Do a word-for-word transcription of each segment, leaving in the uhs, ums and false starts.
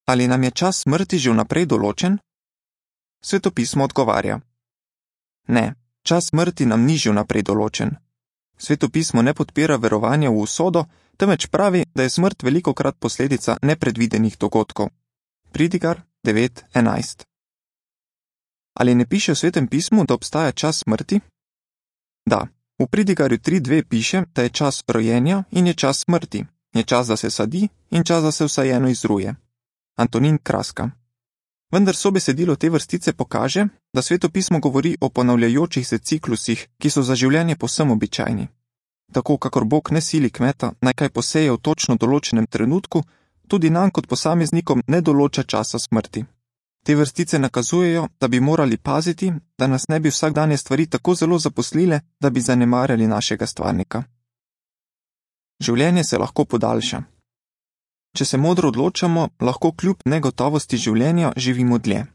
ali nam je čas smrti že vnaprej določen? Svetopismo odgovarja: Ne, čas smrti nam ni že vnaprej določen. Svetopismo ne podpira verovanja v usodo, temveč pravi, da je smrt velikokrat posledica nepredvidenih dogodkov. Pridigar devet enajst. Ali ne piše v Svetem pismu, da obstaja čas smrti? Da, v Pridigarju tri dve piše, da je čas rojenja in je čas smrti, je čas, da se sadi in čas, da se vsajeno izruje. Antonin Kraska. Vendar sobesedilo te vrstice pokaže, da Svetopismo govori o ponavljajočih se ciklusih, ki so za življenje povsem običajni. Tako kakor Bog ne sili kmeta, naj kaj poseje v točno določenem trenutku, tudi nam kot posameznikom ne določa časa smrti. Te vrstice nakazujejo, da bi morali paziti, da nas ne bi vsakdanje stvari tako zelo zaposlile, da bi zanemarjali našega stvarnika. Življenje se lahko podaljša. Če se modro odločamo, lahko kljub negotovosti življenja živimo dlje.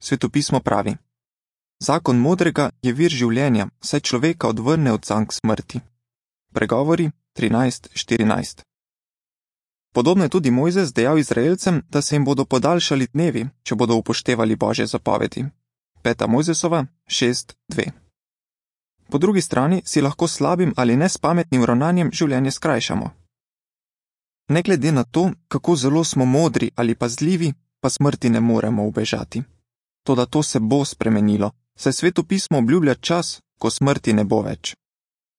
Svetopismo pravi: Zakon modrega je vir življenja, saj človeka odvrne od zank smrti. Pregovori trinajst štirinajst. Podobno je tudi Mojzes dejal Izraelcem, da se jim bodo podaljšali dnevi, če bodo upoštevali Božje zapovedi. Peta Mojzesova šest dve. Po drugi strani si lahko slabim ali nespametnim ravnanjem življenje skrajšamo. Ne glede na to, kako zelo smo modri ali pazljivi, pa smrti ne moremo ubežati. Toda to se bo spremenilo, saj Svetopismo obljublja čas, ko smrti ne bo več.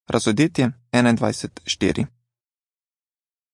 Razodetje enaindvajset štiri.